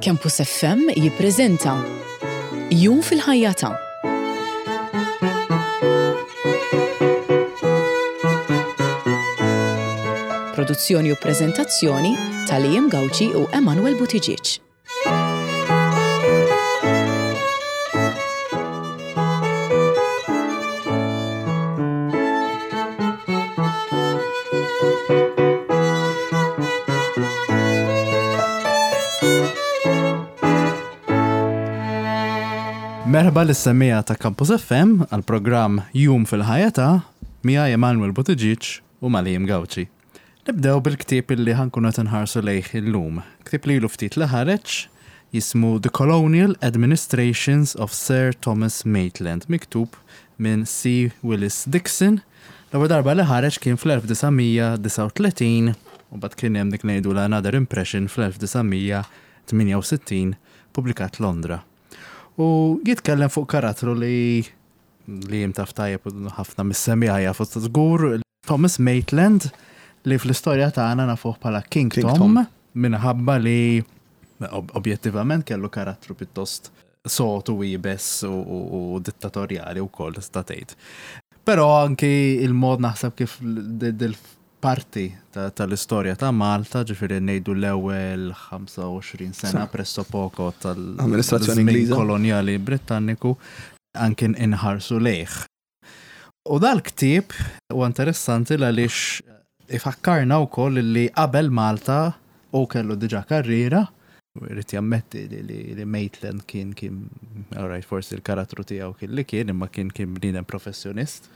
Campus FM jippreżenta Jum fil-ħajja ta' Produzzjoni u preżentazzjoni ta' Liam Gauci u Emanuel Buttigieg. Merħba lis-semmiegħa ta' Campus FM għal programm Jum fil-ħajja ta' miegħi Emanuel Buttigieg u Malim Gauci. Nibdew bil-ktieb illi ħa nkunu qed inħarsu lejh illum. Ktieb li ilu ftit li ħareġ, jismu The Colonial Administrations of Sir Thomas Maitland, miktub minn C. Willis Dixon. L-ewwel darba li ħareġ kien fl-1939 u mbagħad kien hemm dik li ngħidulha Another Impression fl-1968, pubblikat Londra. U jitkellem fuq karattru li li jien taf tajjeb u ħafna mis-semmiegħa jafu żgur, Thomas Maitland, li fl-istorja tagħna nafuh bħala King, King Tom, Tom, minħabba li objettivament kellu karattru pjuttost sotu iebes u, u, u dittatorjali wkoll tista' tgħid. Però anki il-mod naħseb kif dil-parti tal-istorja ta' Malta, ġifieri ngħidu l-ewwel 25 sena presso poco tal-amministrazzjoni Ingliża kolonjali Britanniku, anki inħarsu lejh. U dal-ktieb huwa interessanti għaliex ifakkarna wkoll li qabel Malta hu kellu diġà karriera, irid jammetti li Maitland kien kien alright forsi l-karattru tiegħu kien li kien imma kien kien bniedem professjonist.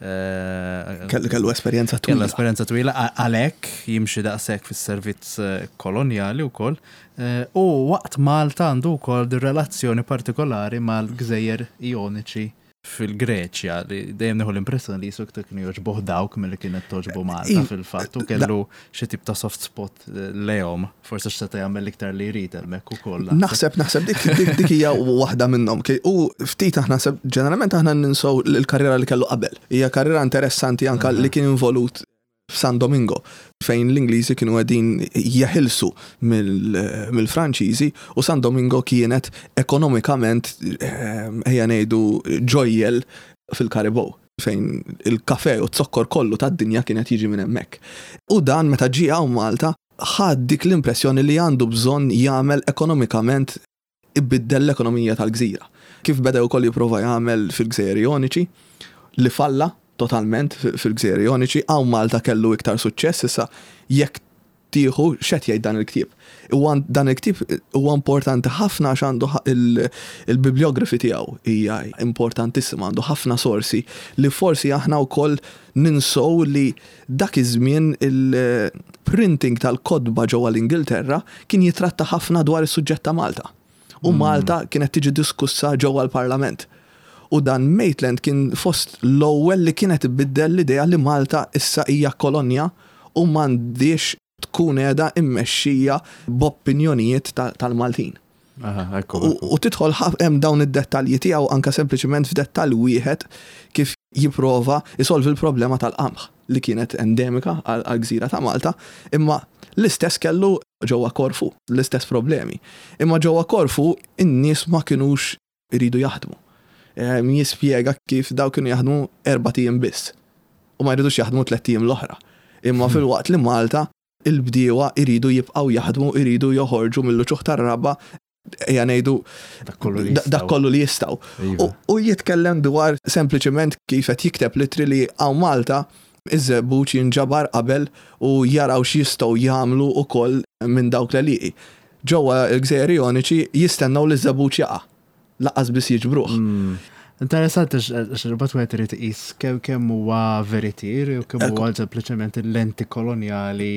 Kellu esperjenza twila. Kellu esperjenza twila għalhekk jimxi daqshekk fis-servizz kolonjali wkoll. U waqt Malta għandu wkoll dir-relazzjoni partikolari mal-gżejjer Ioniċi fil-Greċja li dejjem nieħu l-impressjoni li jisu iktar kienu jogħġbuh dawk milli kienet togħġbu Malta fil-fatt u kellu xi tip ta' soft spot eh, lejhom, forsi x'seta' jagħmel iktar li jrid hemmhekk ukoll. Naħseb naħseb dik dik hija waħda minnhom. U ftit aħna ġeneralment aħna ninsow l-karriera li kellu qabel. Hija karriera interessanti anka li kien involut f'San Domingo, fejn l-Ingliżi kienu qegħdin jeħilsu mill-Franċiżi u San Domingo kienet ekonomikament ejja ngħidu ġojjel fil-Karibow fejn il-kafe u z-zokkor kollu tad-dinja kien qed jiġi minn hemmhekk. U dan meta ġie hawn Malta ħa dik l-impressjoni li għandu bżonn jagħmel ekonomikament ibiddel l-ekonomija tal-gżira. Kif beda wkoll jipprova jagħmel fil-Gżejjer Joniċi, li falla totalment fil-Gżejjer Joniċi, hawn Malta kellu iktar suċċess, issa jekk tieħu x'qed jgħid dan il-ktieb. Huwa dan il-ktieb huwa importanti ħafna għax għandu il-bibliography tiegħu hija importantissima, għandu ħafna sorsi li forsi aħna wkoll ninsow li Dak iż-żmien il-printing tal-kotba ġewwa l-Ingilterra kien jitratta ħafna dwar is-suġġett ta' Malta. U Malta kienet tiġi diskussa ġewwa l-Parlament. U dan Maitland kien fost l-ewwel li kienet ibiddel l-idea li Malta issa hija kolonja u m'għandhiex tkun qiegħda immexxija b'opinjonijiet tal-Maltin. U tidħol hemm dawn id-dettalji tiegħu anke sempliċement f'dettall wieħed kif jipprova jsolvi l-problema tal-qamħ li kienet endemika għall-gżira ta' Malta, imma l-istess kellu ġewwa Korfu, l-istess problemi. Imma ġewwa Korfu in-nies ma kinux iridu jaħdmu. Jispjega kif daw kienu jaħdmu erbat ijiem biss u ma jridux jaħdmu tlett ijiem l-oħra. Imma filwaqt li Malta il-bdiewa jridu jibqgħu jaħdmu, jridu joħorġu mill-uċuħ tar-raba', ejja ngħidu dak kollu li jistgħu. Iva. U jitkellem dwar sempliċement kif qed jikteb litri li hawn Malta iż-żebbuġ jinġabar qabel u jaraw x'jistgħu jagħmlu wkoll minn dawk l-għelieqi. Ġewwa l-Gżejjer Joniċi jistennew li ż-żebbuġ jaqa'. Lanqas biss jiġbruh. Interessanti għax imbagħad wieħed irid iqis kemm kemm huwa veritier u kemm huwa sempliċement il-lenti kolonjali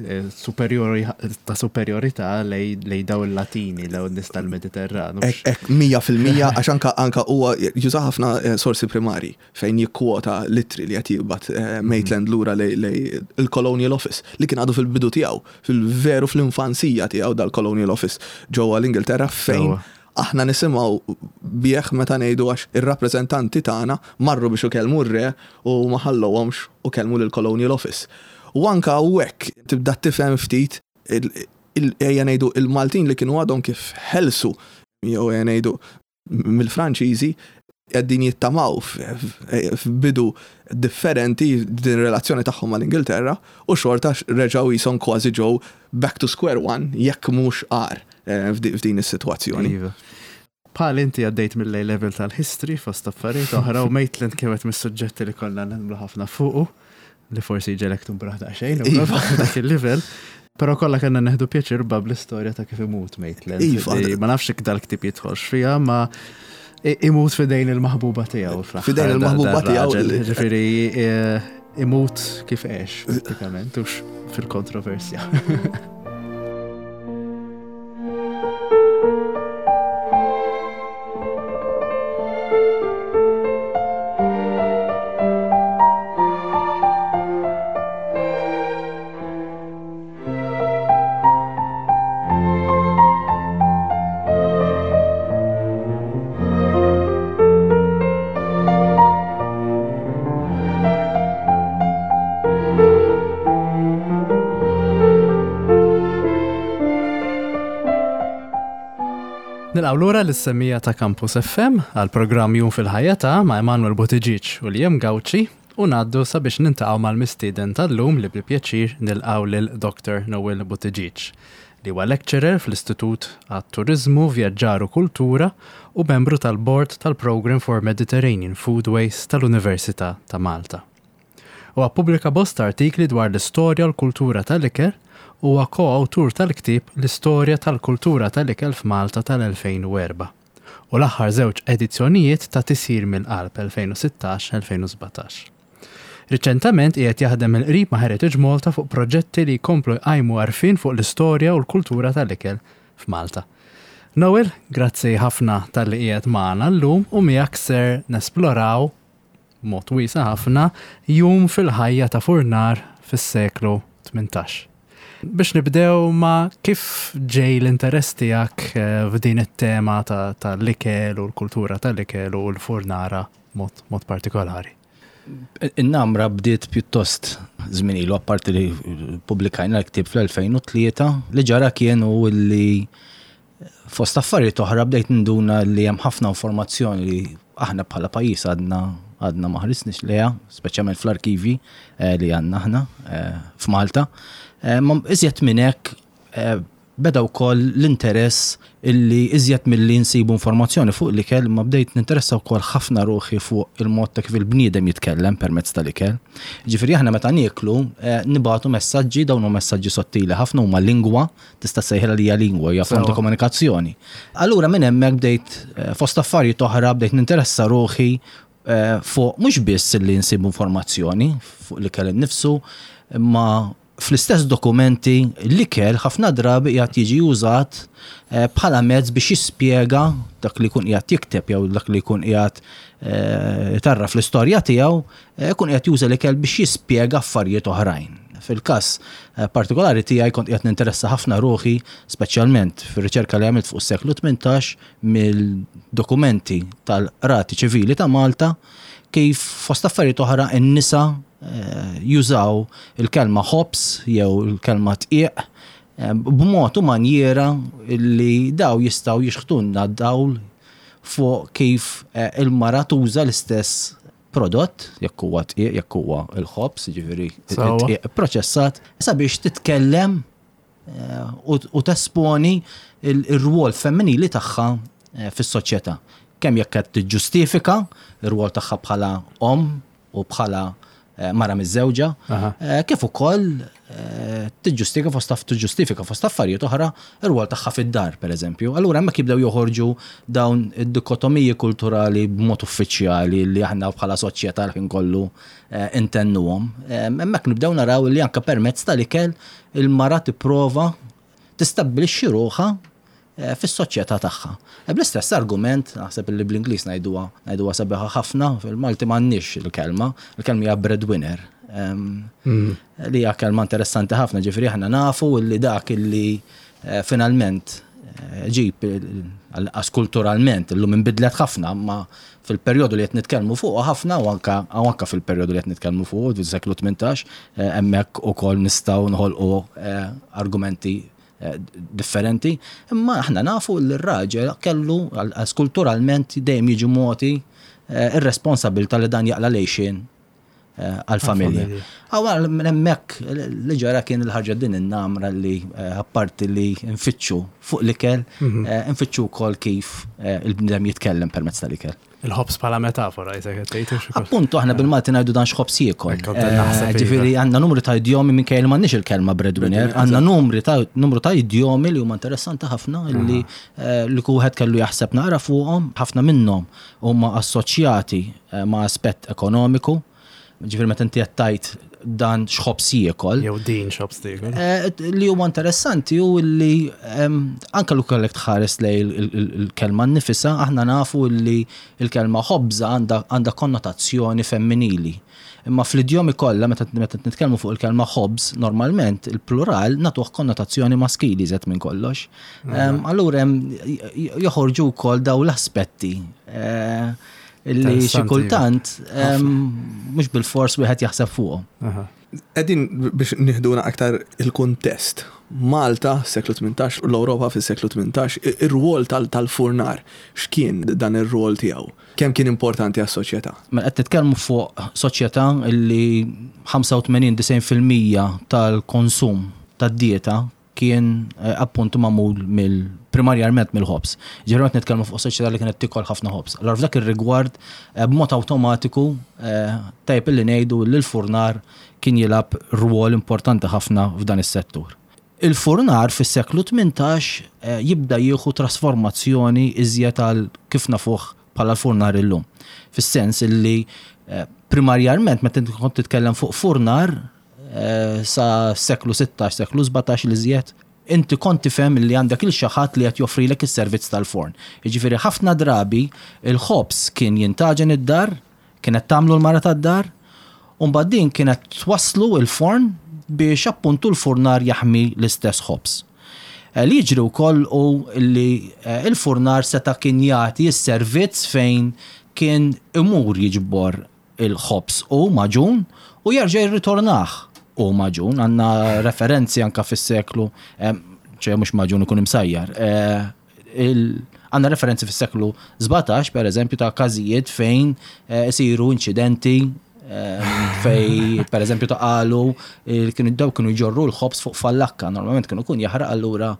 eh, superjori ta' superjorità lej daw il-Latini, daw n-nies tal-Mediterran. Ek, 100% għax anka anka huwa juża ħafna eh, sorsi primari fejn jikkwota l-ittri li qed jibgħat eh, Maitland lura lej il-Colonial Office li kien għadu fil-bidu tiegħu, fil-veru fl-infanzija tiegħu dal-Colonial Office ġewwa l-Ingilterra fejn Aħna nisimgħu bih meta ngħidu għax ir-rappreżentanti tagħna marru biex ikellmu r-re u ma ħallewhomx u kellmu lill-Colonial Office. U anke hawnhekk tibda tifhem ftit. ejja ngħidu il-Maltin li kienu għadhom kif ħelsu jew ejja ngħidu mill-Franċiżi qegħdin jittamaw f'bidu differenti din relazzjoni tagħhom mal-Ingilterra u xorta reġgħu qishom kważi ġew back to square one jekk mhux agħar eh, f'din is-sitwazzjoni. Iva. Bħal inti għaddejt mill-A level tal-history fost affarijiet oħra u Maitland kienet mis-suġġetti li konna nagħmlu ħafna fuqu li forsi ġelek tumbraħ daqsxejn iva. dak il-level. Però kollha kellna neħdu pjaċir bab l-istorja ta' kif imut Maitland. Iva. Ma nafx jekk dal-ktieb jidħolx fiha, ma imut fidejn il-maħbuba tiegħu. Fidejn il-maħbuba tiegħu. Ġifieri e, imut kif għex, pratikament, ux fil-kontroversja. Nilqgħu lura lis-semmiegħa ta' Campus FM għal programm Jum fil-Ħajja ta' ma' Emanuel Buttigieg u Liam Gauci u ngħaddu sabiex nintaqgħu mal-mistieden tal-lum li bi pjaċir nilqgħu lil Dr. Noel Buttigieg li huwa lecturer fl-Istitut għat-Turiżmu, Vjaġġar u Kultura u membru tal-Bord tal-Programme for Mediterranean Foodways tal-Università ta' Malta. Huwa ppubblika bosta artikli dwar l-istorja u l-kultura tal-ikel u huwa ko-awtur tal-ktieb L-Istorja tal-Kultura tal-Ikel f'Malta tal-2004 u l-aħħar żewġ edizzjonijiet ta' Tisjir mill-Qalb 2016-2017. Riċentament qiegħed jaħdem mill-qrib ma' Heritage Malta fuq proġetti li jkomplu jqajmu għarfien fuq l-istorja u l-kultura tal-ikel f'Malta. Noel, grazzi ħafna talli qiegħed magħna llum u miegħek ser nesploraw b'mod wiesa' ħafna jum fil-ħajja ta' furnar fis-seklu 18. Biex nibdew ma' kif ġej l-interess tiegħek eh, f'din it-tema tal-ikel u l-kultura tal-ikel u l-furnara mod, mod partikolari. In-namra bdiet pjuttost żmien ilu, apparti li pubblikajna l-ktieb fl-2003, li ġara kienu li fost affarijiet oħra bdejt ninduna li hemm ħafna informazzjoni li aħna bħala pajjiż għadna għadna ma ħarisniex lejha, speċjalment fl-arkivi eh, li għandna aħna eh, f'Malta. Eh, ma iżjed minn hekk beda wkoll l-interess illi iżjed milli nsibu informazzjoni fuq l-ikel, ma bdejt ninteressa wkoll ħafna ruħi fuq il-mod ta' kif il-bniedem jitkellem permezz tal-ikel. Ġifieri aħna meta nieklu eh, nibagħtu messaġġi, dawn huma messaġġi sottili ħafna huma lingwa, tista' sejħilha li hija lingwa, hija forma ta' komunikazzjoni. Allura minn hemmhekk bdejt eh, fost affarijiet oħra bdejt ninteressa ruħi eh, fuq mhux biss li nsibu informazzjoni fuq l-ikel innifsu, imma Fl-istess dokumenti, l-ikel ħafna drabi qiegħed jiġi użat eh, bħala mezz biex jispjega dak li jkun qiegħed jikteb jew dak li jkun qiegħed eh, tarraf l-istorja tiegħu, eh, jkun qiegħed juża l-ikel biex jispjega affarijiet oħrajn. Fil-każ partikolari tiegħi kont qiegħed ninteressa ħafna ruħi, speċjalment fir-riċerka li għamilt fuq is-seklu 18 mill-dokumenti tal-qrati ċivili ta' Malta kif fost affarijiet oħra n-nisa eh, jużaw il-kelma ħobż jew il-kelma tqiq eh, b'mod u manjiera li daw jistgħu jixħtunna dawl fuq kif eh, il-mara tuża l-istess prodott, jekk huwa tqiq, jekk huwa l-ħobż, jiġifieri tqiq proċessat, sabiex titkellem u tesponi r-rwol femminili tagħha eh, fis-soċjetà. Kemm jekk qed tiġġustifika r-rwol tagħha bħala omm u bħala eh, mara miżżewġa, eh, kif ukoll tiġġustifika fost tiġġustifika fost affarijiet oħra r-rwol tagħha fid-dar, pereżempju. Allura hemmhekk jibdew joħorġu dawn id-dikotomiji kulturali b'mod uffiċjali li aħna bħala soċjetà l-ħin kollu intennuhom. Hemmhekk nibdew naraw li anke permezz tal-ikel il-mara tipprova tistabbilixxi ruħha eh, fis-soċjetà tagħha. E bl-istess argument, naħseb li bl-Ingliż ngħiduha ngħiduha sabiħa ħafna, fil-Malti m'għandniex il-kelma, il-kelma hija breadwinner. Mm. Li hija kelma interessanti ħafna, ġifieri aħna nafu li dak illi eh, finalment eh, ġib għas kulturalment illum inbidlet ħafna, ma Fil-perjodu li qed nitkellmu fuqu ħafna u anka u anka fil-perjodu li qed nitkellmu fuqu fis-seklu 18 eh, hemmhekk ukoll nistgħu nħolqu eh, argumenti differenti, imma aħna nafu li r-raġel kellu kulturalment dejjem jiġi mogħti ir-responsabilità li dan jaqla' l-għixien għall-familja. Għawar minn hemmhekk li ġara kien il-ħarġa din in-namra li apparti li nfittxu fuq l-ikel, nfittxu wkoll kif il-bniedem jitkellem permezz tal-ikel. Il-ħobż bħala metafora, jisek tgħid. Appuntu aħna bil-Malti ngħidu dan x'ħobż jiekol. Ġifieri għandna numru ta' idjomi minkejja li m'għandniex il-kelma breadwinner, għandna numri ta' numru ta' idjomi li huma interessanti ħafna li li wieħed kellu jaħseb naqra fuqhom, ħafna minnhom huma assoċjati ma' aspett ekonomiku. Ġifieri meta inti qed tgħid dan x'ħobż jiekol. Jew din x'ħobż tiekol. Li huwa interessanti hu li anke li kellek tħares lejn il-kelma nnifisha, aħna nafu li l-kelma ħobża għandha konnotazzjoni femminili. Imma fl-idjomi kollha meta nitkellmu fuq il-kelma ħobż, normalment il-plural nagħtuh konnotazzjoni maskili iżjed minn kollox. Allura hemm joħorġu wkoll dawn l-aspetti Illi xi kultant mhux bil-fors wieħed jaħseb fuqhom. Qegħdin biex nieħduna aktar il-kuntest. Malta, seklu 18, u l-Ewropa fis-seklu 18, ir-rwol tal-furnar, x'kien dan ir-rwol tiegħu? Kemm kien importanti għas-soċjetà? Mela qed nitkellmu fuq soċjetà li 85-90% tal-konsum tad-dieta kien appuntu magħmul mill primarjarment mill-ħobż. Ġifieri qed nitkellmu fuq soċjetà li kienet tikol ħafna ħobż. Allura f'dak ir-rigward b'mod awtomatiku tajjeb illi ngħidu li l-furnar kien jilgħab rwol importanti ħafna f'dan is-settur. Il-furnar fis-seklu 18 jibda jieħu trasformazzjoni iżjed għal kif nafuh bħala l-furnar illum. Fis-sens illi primarjarment meta kont titkellem fuq furnar sa seklu 16, seklu 17 l-iżjed, inti kont tifhem li għandek il xi ħadd li qed joffrilek is-servizz tal-forn. Jiġifieri ħafna drabi il-ħobż kien jintaġen id-dar, kienet tagħmlu l-mara tad-dar, u mbagħad din kienet twasslu l-forn biex appuntu l-furnar jaħmi l-istess ħobż. Li jiġri wkoll hu li l-furnar seta' kien jagħti s-servizz fejn kien imur jiġbor il-ħobż hu magħġun u jerġa' jirritornah hu magħġun. Għandna referenzi anka fis-seklu, ċe mhux magħġun ikun imsajjar. Għandna referenzi fis-seklu 17, per eżempju, ta' każijiet fejn isiru inċidenti fej per eżempju ta' qalu kienu daw kienu jġorru l-ħobż fuq fallakka, normalment kienu kun jaħraq allura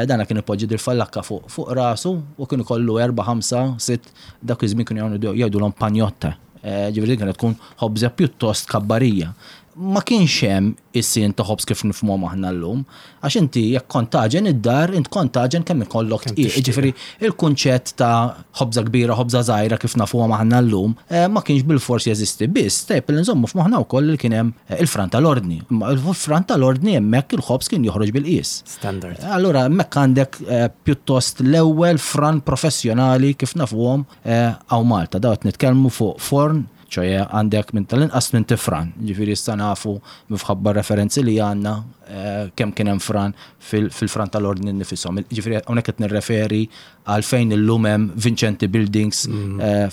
dana kien ipoġġi dil-fallakka fuq rasu u kienu kollu 4, 5, 6 Dak iż-żmien kienu jagħmlu jgħidulhom panjotta. Eh, ġifieri din kienet tkun ħobża pjuttost kabbarija. Ma kienx hemm is-sin ta' ħobż kif nifhmuhom aħna llum, għax inti jekk kont taġen id-dar, int kont taġen kemm ikollok tqiq. Ġifieri il-kunċett ta' ħobża kbira, ħobża żgħira kif nafuhom aħna llum, eh, ma kienx bil-fors jeżisti. Biss, tajjeb li nżommu f'moħħna wkoll li kien hemm eh, il-fran tal-ordni. Imma il-fran tal-ordni hemmhekk il-ħobż kien joħroġ bil-qies. Standard. Allura hemmhekk għandek eh, pjuttost l-ewwel fran professjonali kif nafuhom eh, hawn Malta. Daw qed nitkellmu fuq forn, ċoje għandek minn tal-inqas minn tifran. Ġifieri issa nafu minħabba referenzi li għandna eh, kemm kien hemm fran fil-fran tal-ordni nifishom. Ġifieri hawnhekk qed nirreferi għal fejn illum hemm Vincenti Buildings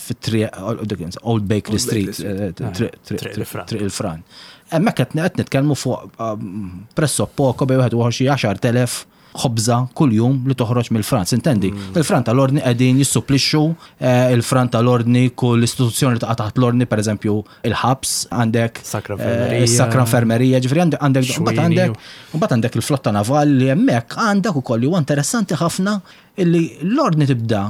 fit-triq Old Bakery Street, Triq il-Fran. Hemmhekk qed nitkellmu fuq presso poco bejn wieħed u xi 10,000 ħobża kuljum li toħroġ mill-Fran. Intendi, il-Fran tal-Ordni qegħdin jissupplixxu il-Fran tal-Ordni kull istituzzjoni li taqa' taħt l-Ordni, pereżempju il-ħabs, għandek Sacra Infermerija. Sacra Infermerija, ġifieri għandek għandek mbagħad għandek il-flotta navali li hemmhekk għandek ukoll li huwa interessanti ħafna Illi l-Ordni tibda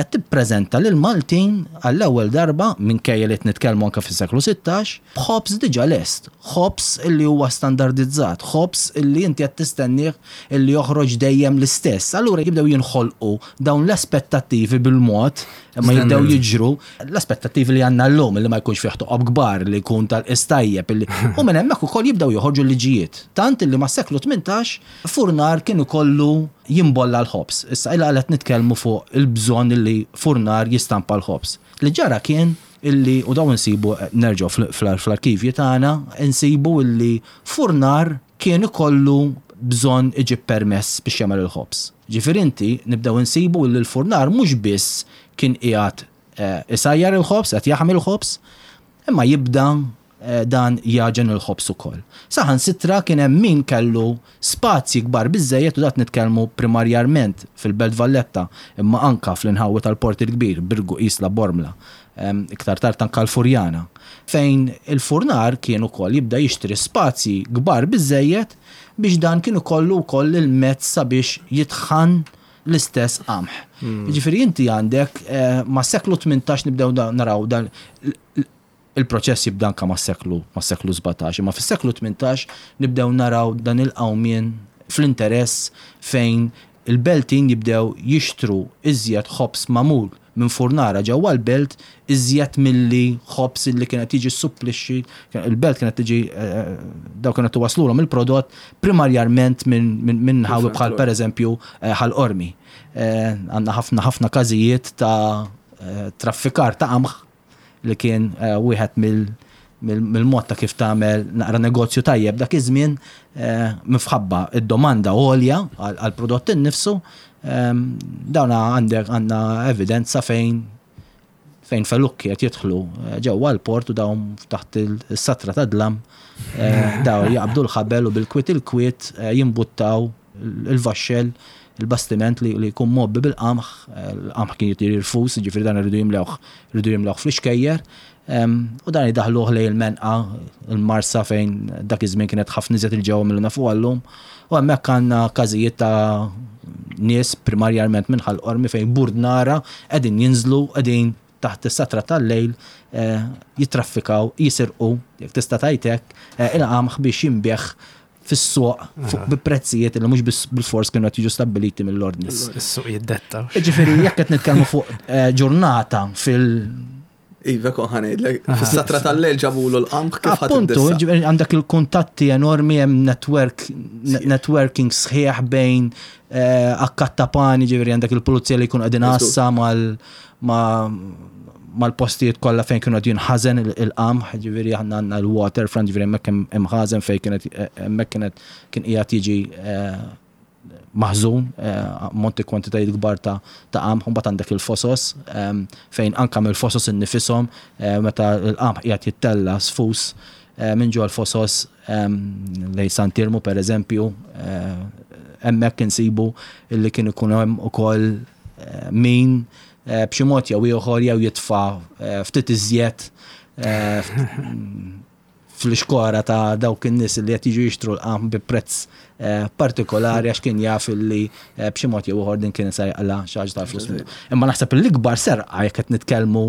tippreżenta lill-Maltin għall-ewwel darba, minkejja li qed nitkellmu anke fis-seklu 16, b'ħobż diġà lest, ħobż illi huwa standardizzat, ħobż illi inti qed tistennieh illi joħroġ dejjem l-istess. Allura jibdew jinħolqu dawn l-aspettattivi bil-mod, imma jibdew jiġru l-aspettattivi li għandna llum illi ma jkunx fih toqob kbar, li jkun tal-qies tajjeb, illi u minn hemmhekk ukoll jibdew joħorġu l-liġijiet. Tant illi mas-seklu 18 furnar kien ikollu jimbolla l-ħobż. Issa il għala qed nitkellmu fuq il-bżonn illi furnar jistampa l-ħobż. Li ġara kien illi, u dawn insibu nerġgħu fl-arkivji tagħna, insibu illi furnar kien ikollu bżonn iġib permess biex jagħmel il-ħobż. Ġifieri inti nibdew insibu illi l-furnar mhux biss kien qiegħed isajjar il-ħobż, qed jaħmi l-ħobż, imma jibda dan jagħġen il-ħobż ukoll. Saħansitra kien hemm min kellu spazji kbar biżżejjed u dat nitkellmu primarjarment fil-Belt Valletta imma anka fl-inħawi tal-Port il-Kbir, Birgu, Isla, Bormla, iktar tard anka l-Furjana, fejn il-furnar kien ukoll jibda jixtri spazji kbar biżżejjed biex dan kien ikollu wkoll il-mezz sabiex jitħan l-istess qamħ. Jiġifieri inti għandek mas-seklu 18 nibdew naraw dan Il-proċess jibda anke mas-seklu mas-seklu 17, imma fis-seklu 18 nibdew naraw dan il-qawmien fl-interess fejn il-Beltin jibdew jixtru iżjed ħobż magħmul minn furnara ġewwa l-belt iżjed milli ħobż illi kien qed jiġi ssupplixxi il-belt kienet tiġi dawk kienu qed iwasslulhom il-prodott primarjarment minn nħawi bħal pereżempju Ħal Qormi. Għandna ħafna ħafna każijiet ta' traffikar ta' qamħ li kien eh, wieħed mill-mod ta' kif tagħmel naqra negozju tajjeb dak iż-żmien eh, minħabba id-domanda għolja għall-prodott innifsu, ehm, dawn għandek għandna evidenza fejn fejn felukki qed jidħlu eh, ġewwa l-port u dawn taħt is-satra ta' dlam daw jaqbdu l-ħabel u bil-kwiet il-kwiet jimbuttaw il-vaxxell, il-bastiment li jkun mgħobbi bil-qamħ, il-qamħ kien jitir irfus, jiġifieri dan iridu jimlewh, iridu jimlewh fl-ixkejjer, u dan idaħħluh lejn il-Menqa, il-Marsa fejn dak iż-żmien kienet ħafna iżjed 'il ġewwa milli nafuha llum. U hemmhekk għandna każijiet ta' nies primarjarment minn Ħal Qormi fejn burdnara qegħdin jinżlu, qegħdin taħt is-satra tal-lejl jittraffikaw, jisirqu, jekk tista' tgħid hekk, il-qamħ biex jinbiegħ fis-suq fuq bi prezzijiet li mhux bil-fors kienu qed jiġu stabbiliti mill-ordni. Is-suq jiddetta. Ġifieri jekk qed nitkellmu fuq eh, ġurnata fil- Iva kon ħanejdlek, fis-satra tal-lejl ġabulu l-qamħ kif Appuntu, għandek il-kuntatti enormi hemm network, networking sħiħ bejn eh, akkattapani, ġifieri għandek il-pulizija li jkun qegħdin għassa mal mal-postijiet kollha fejn kienu qed jinħażen il-qamħ, ġifieri aħna għandna l-waterfront, ġifieri hemmhekk hemm imħażen fejn kienet hemmhekk kienet kien qiegħed jiġi eh, maħżun eh, ammonti kwantitajiet kbar ta' ta' qamħ, mbagħad għandek il-fosos ehm, fejn anka mill-fosos innifisom eh, meta l-qamħ qiegħed jittella sfus minn ġol fosos ehm, lej Santirmu per eżempju, hemmhekk insibu li kien ikun hemm ukoll min b'xi mod jew ieħor jew jitfa' ftit iżjed fl-ixkora ta' dawk in-nies li qed jiġu jixtru l-qamħ bi prezz partikolari għax kien jaf li b'xi mod jew ieħor din kien se jaqla' xi ħaġa tal-flus minnu. Imma naħseb l-ikbar serqa jekk qed nitkellmu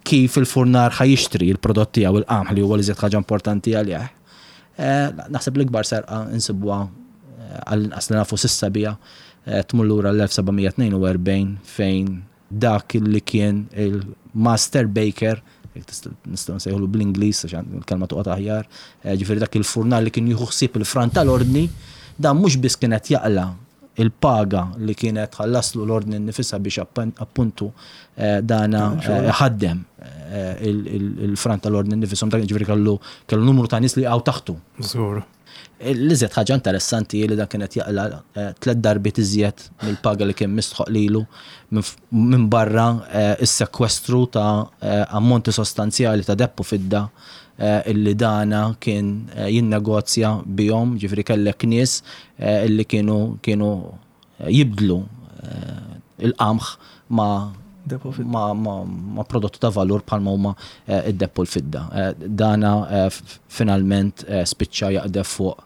kif il-furnar ħa jixtri l-prodott tiegħu il-qamħ li huwa l-iżjed ħaġa importanti għalih. Naħseb l-ikbar serqa insibuha għall-inqas li nafu s'issa biha tmur lura l-1742 fejn dak li kien il-master baker, nistgħu nsejħulu bl-Ingliż għax il-kelma toqgħod aħjar, ġifieri dak il-furnar li kien jieħu ħsieb il-fran tal-ordni, dan mhux biss kien qed jaqla' il-paga li kienet tħallaslu l-ordni nnifisha biex appuntu dana ħaddem il-fran tal-ordni nnifisom, dak ġifieri kellu kellu numru ta' nies li jaqgħu taħtu. Żgur. L-iżjed ħaġa interessanti hi li dan kien qed jaqla' tliet darbiet iżjed mill-paga li kien mistħoq lilu minbarra s-sekwestru ta' ammonti sostanzjali ta' deheb u fidda illi dana kien jinnegozja bihom, ġifieri kellek nies illi kienu kienu jibdlu il-qamħ ma' ma' prodotti ta' valur bħalma huma d-deheb u l-fidda. Dana finalment spiċċa jaqdef fuq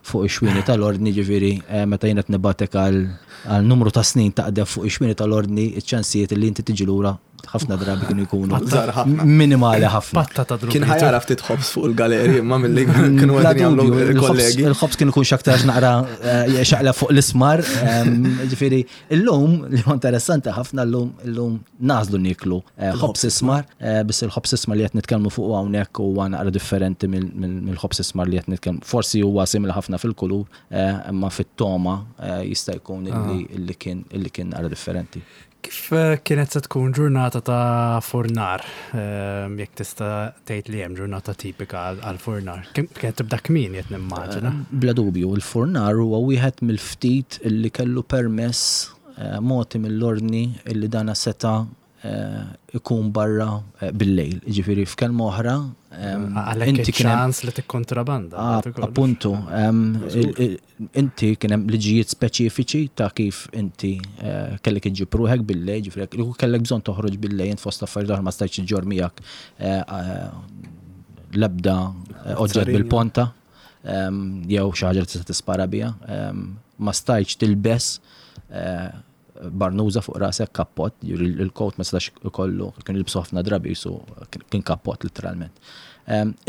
fuq ix-xwieni tal-Ordni, ġifieri meta jien qed nibgħatek għal numru ta' snin taqdef fuq ix-xwieni tal-Ordni, iċ-ċansijiet li inti tiġi lura ħafna drabi kienu jkunu minimali ħafna. Kien ħajara ftit ħobż fuq il-galeri imma milli kienu qegħdin jagħmlu il-kollegi. Il-ħobż kien ikun x'aktarx naqra eh, xaqla fuq l-ismar. Ehm, ġifieri illum li huwa interessanti ħafna llum illum nażlu nieklu eh, ħobż ismar, eh, biss il-ħobż ismar li qed nitkellmu fuq hawnhekk huwa naqra differenti mill-ħobż ismar li qed nitkellmu. Forsi huwa simili ħafna fil-kulur, imma fit-toma jista' jkun ah. illi kien illi kien naqra differenti. Kif kienet se tkun ġurnata ta' furnar, jekk tista' tgħid li hemm ġurnata tipika għal furnar? Kienet tibda kmieni qed nimmaġina. Bla dubju, il-furnar huwa wieħed mill-ftit li kellu permess mogħti mill-Ordni li dana seta' ikun barra bil-lejl. Ġifieri f'kelma oħra. Għalhekk ċans li tikkontrabanda. Ah, appuntu, inti kien hemm liġijiet speċifiċi ta' kif inti eh, kellek iġġib ruħek bil-lejl, ġifieri kellek bżonn toħroġ bil-lejl int fost affarijiet oħra ma stajtx iġġor miegħek eh, eh, l-ebda oġġett bil-ponta jew xi ħaġa li tista' tispara biha, ma stajtx tilbes barnuża fuq rasek, kappott, il-coat ma setax ikollu, kien jilbsu ħafna drabi su kien kappott literalment.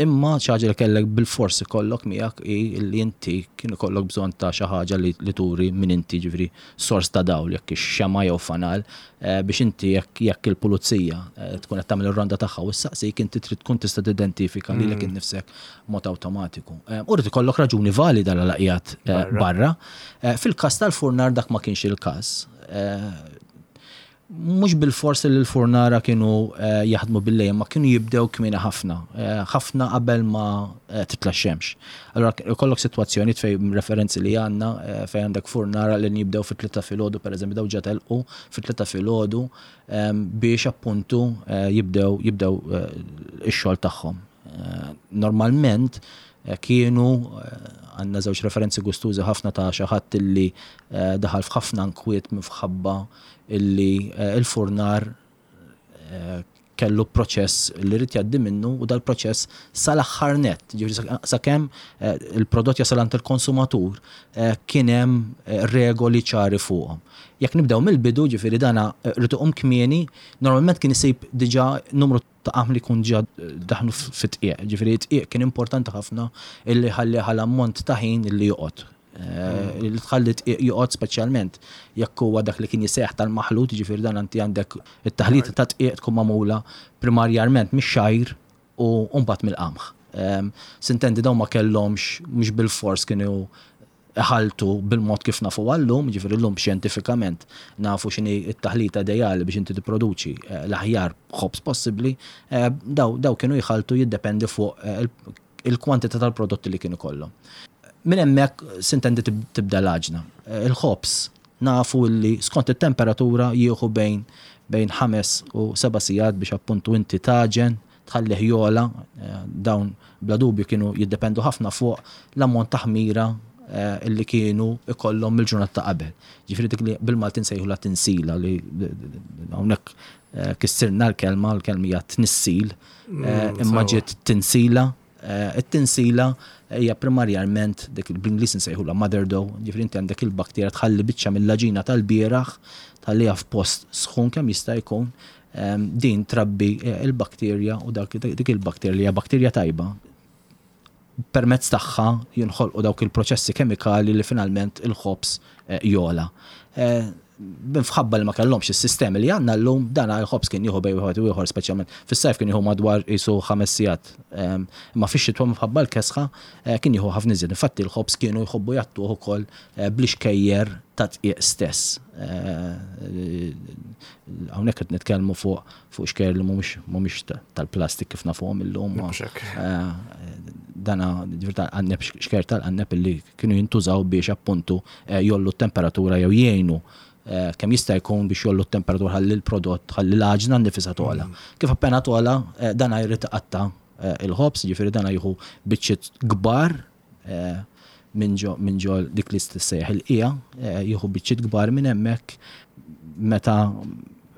Imma xi ħaġa li kellek bil-fors ikollok miegħek hi li inti kien ikollok bżonn ta' xi ħaġa li turi min inti ġifieri sors ta' dawl jekk xema jew fanal eh, biex inti jekk il-pulizija eh, tkun qed tagħmel ir-ronda tagħha u ssaqsik inti trid tkun tista' tidentifika lilek mm. innifsek mod awtomatiku. Eh, u rrid ikollok raġuni valida l qiegħed barra. Fil-każ tal-furnar dak ma kienx il-każ. Mhux bilfors li l-furnara kienu jaħdmu bil-lejl, ma kienu jibdew kmieni ħafna, ħafna qabel ma titla' x-xemx. Allura ikollok sitwazzjonijiet fejn referenzi li għandna fejn għandek furnara li jibdew fit-tlieta filgħodu pereżempju daw ġa telqu fit-tlieta filgħodu biex appuntu jibdew jibdew ix-xogħol tagħhom. Normalment kienu għandna żewġ referenzi gustużi ħafna ta' xi ħadd illi daħal f'ħafna nkwiet minħabba illi l-furnar kellu proċess li rrid jgħaddi minnu u dal-proċess sal-aħħar nett, ġifieri sakemm il-prodott jasal għand il-konsumatur kien hemm regoli ċari fuqhom. Jekk nibdew mill-bidu, ġifieri dana rrid iqum kmieni, normalment kien isib diġà numru ta' qamħ li jkun ġa daħlu fit-tqiegħ. Ġifieri t-tqiegħ kien importanti ħafna illi ħalli għal ammont ta' ħin illi joqgħod. Eh, li tħalli tqiegħ joqgħod speċjalment jekk huwa dak li kien jisejjaħ tal-maħlut, ġifieri dan anti għandek it-taħlita ta' tqiegħ tkun magħmula primarjarment mix-xgħir u mbagħad mill-qamħ. Ehm, sintendi dawn ma kellhomx mhux bil-fors kienu iħalltu bil-mod kif nafuha llum, jiġifieri llum xjentifikament nafu x'inhi t-taħlita ideali biex inti tipproduċi l-aħjar ħobż possibbli, daw daw kienu jħalltu jiddependi fuq il-kwantità tal-prodotti li kien ikollhom. Minn hemmhekk sintendi tibda l-għaġna. Il-ħobż nafu li skont it-temperatura jieħu bejn bejn ħames u seba' sigħat biex appuntu inti tagħġen tħallih jogħla, dawn bla dubju kienu jiddependu ħafna fuq l-ammont ta' ħmira li kienu ikollhom mill-ġurnata ta' qabel. Ġifieri dik li bil-Malti nsejħulha tinsila li hawnhekk kissirna l-kelma, l-kelma hija tnissil, imma ġiet tinsila. It-tinsila hija primarjalment dik li bl-Ingliż insejħulha mother dough, ġifieri inti għandek il-bakterja tħalli biċċa mill-għaġina tal-bieraħ, tħalliha f'post sħun kemm jista' jkun, Din trabbi il-bakterja u dak dik il-bakterja li hija bakterja tajba permezz tagħha jinħolqu dawk il-proċessi kemikali li finalment il-ħobż jogħla. Minħabba li ma kellhomx is-sistemi li għandna llum, dan il-ħobż kien jieħu bejn wieħed u ieħor speċjalment fis-sajf kien jieħu madwar qisu ħames sigħat. Imma fix-xitwa minħabba l-kesħa kien jieħu ħafna iżjed. Infatti l-ħobż kienu jħobbu jgħattuh ukoll bl-ixkejjer ta' dqiq stess. Hawnhekk qed nitkellmu fuq fuq xkejjer li mhumiex mhumiex tal-plastik kif nafuhom illum. Dana ġifier tal-qanneb xkejjer tal-qanneb illi kienu jintużaw biex appuntu jgħollu t-temperatura jew jgħinu kemm jista' jkun biex jgħollu t-temperatura ħalli l-prodott ħalli l-għaġna nnifisha togħla. Kif appena togħla dana jrid iqatta' il-ħobż, jiġifieri dana jieħu biċċiet kbar minn ġo minn ġo dik li tissejjaħ il-qiegħa, jieħu biċċiet kbar minn hemmhekk meta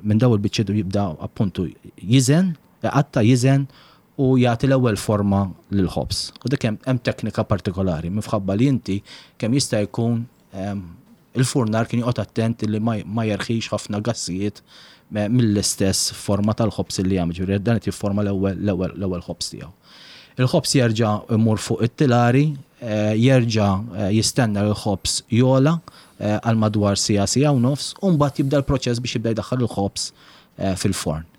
minn daw il-biċċiet jibda appuntu jiżen, iqatta' jiżen u jagħti l-ewwel forma lill-ħobż. U dik hemm teknika partikolari minħabba li inti kemm jista' jkun Il-furnar kien joqgħod attent li ma jerħix ħafna gassijiet mill-istess forma tal-ħobż li jagħmel, ġifieri dan qed jifforma l-ewwel ħobż tiegħu. Il-ħobż jerġa' jmur fuq it-tilari, jerġa' jistenna li l-ħobż jogħla għal madwar siegħa, siegħa u nofs, u mbagħad jibda l-proċess biex jibda jdaħħal il-ħobż fil-forn.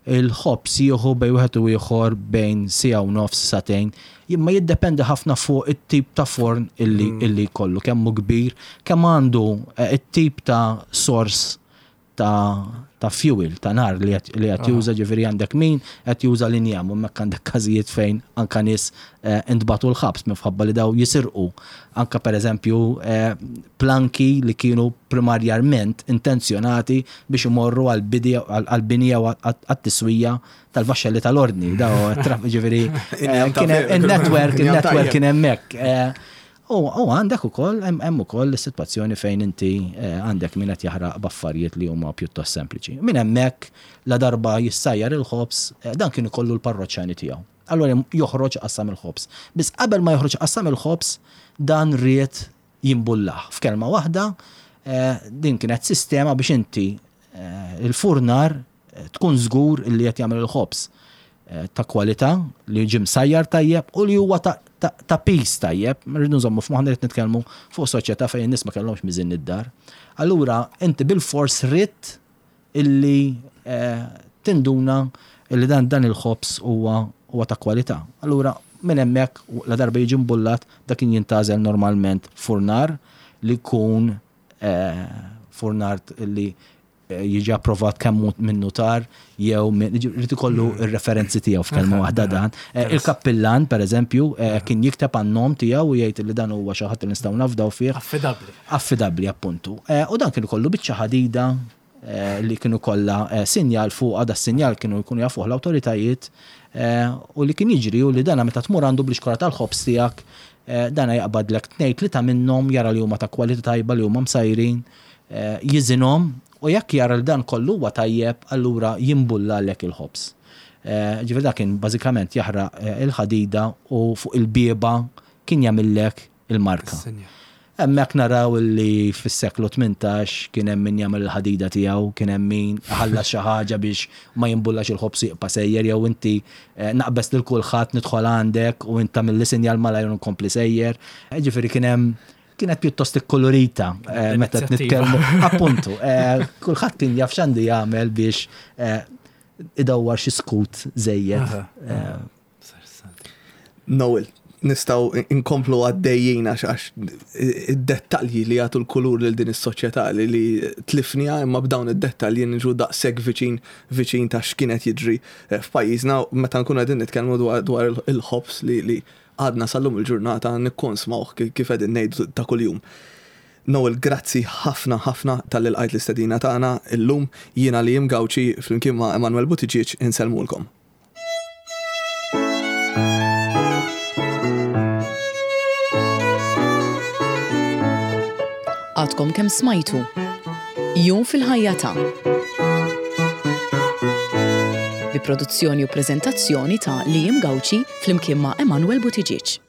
Il-ħobż jieħu bejn wieħed u ieħor bejn siegħa u nofs, sagħtejn, imma jiddependi ħafna fuq it-tip ta' forn illi illi jkollu, kemm hu kbir, kemm għandu it-tip ta' sors ta' ta' fuel, ta' nar li qed juża ġifieri għandek min qed juża l-injam u hemmhekk għandek każijiet fejn anka nies eh, intbagħtu l-ħabs minħabba li daw jisirqu anka pereżempju eh, planki li kienu primarjarment intenzjonati biex imorru għall-bini jew għat-tiswija tal-vaxxelli tal-ordni. Daw ġifieri eh, il-network, il-network kien hemmhekk. U għandek ukoll hemm ukoll is-sitwazzjoni fejn inti eh, għandek min qed jaħraq b'affarijiet li huma pjuttost sempliċi. Minn hemmhekk la darba jissajjar il-ħobż, eh, dan kien ikollu l-parroċċani tiegħu. Allura joħroġ qassam il-ħobż. Biss qabel ma joħroġ qassam il-ħobż, dan ried jimbullah. F'kelma waħda, eh, din kienet sistema biex inti il-furnar tkun żgur li qed jagħmel il-ħobż eh, ta' kwalità li ġie msajjar tajjeb u li huwa ta' piż tajjeb. Rridu nżommu f'moħħna qed nitkellmu fuq soċjetà fejn in-nies ma kellhomx miżin id-dar. Allura inti bil-fors ridt illi eh, tinduna illi dan dan il-ħobż huwa huwa ta' kwalità. Allura minn hemmhekk la darba jiġi mbullat dak kien jintgħażel normalment furnar li jkun eh, furnar li jiġi approvat kemm minn nutar jew irid ikollu mm. r-referenzi tiegħu f'kelma waħda dan. Eh, il-kappillan, per eżempju, eh, kien jikteb għan-nom tiegħu u jgħid li dan huwa xi ħadd li nistgħu nafdaw fih. Affidabbli. Affidabbli appuntu. Eh, u dan kien ikollu biċċa ħadida li kienu kollha sinjal fuqha, da sinjal kienu jkunu jafuh l-awtoritajiet u li kien jiġri u li dana meta tmur għandu bl-ixkora tal-ħobż tiegħek dana jaqbadlek tnejn tlieta minnhom jara li huma ta' kwalità tajba li huma msajrin jiżinhom u jekk jara li dan kollu huwa tajjeb allura jimbullalek il-ħobż. Ġifieri dak kien bażikament jaħraq il-ħadida u fuq il-bieba kien jagħmillek il-marka. Hemmhekk naraw li fis-seklu 18 kien hemm min jagħmel il-ħadida tiegħu, kien hemm min iħallas xi ħaġa biex ma jimbullax il-ħobż u jibqa' sejjer jew inti naqbeż lil kulħadd nidħol għandek u int tagħmilli sinjal malajr u nkompli sejjer. Ġifieri kien hemm kienet pjuttost ikkolorita eh, meta nitkellmu. Appuntu, eh, kulħadd kien jaf x'għandu jagħmel biex eh, idawwar xi skut żejjed. Noel, nistaw inkomplu għaddejjin għax għax id-dettalji li jagħtu l-kulur lil din is-soċjetà li li tlifniha imma b'dawn id-dettalji niġu daqshekk viċin viċin ta' x'kienet jiġri f'pajjiżna meta nkunu qegħdin nitkellmu dwar il-ħobż li li Għadna sal-lum il-ġurnata nikkonsmawh kif qegħdin ngħidu ta' kuljum. Noel grazzi ħafna ħafna talli lqajt l-istedina tagħna illum. Jiena Liam Gauci flimkien ma' Emanuel Buttigieg insellmulkom. Għadkom kemm smajtu Jum fil-ħajja ta' bi produzzjoni u preżentazzjoni ta' Liam Gauci flimkien ma' Emanuel Buttigieg.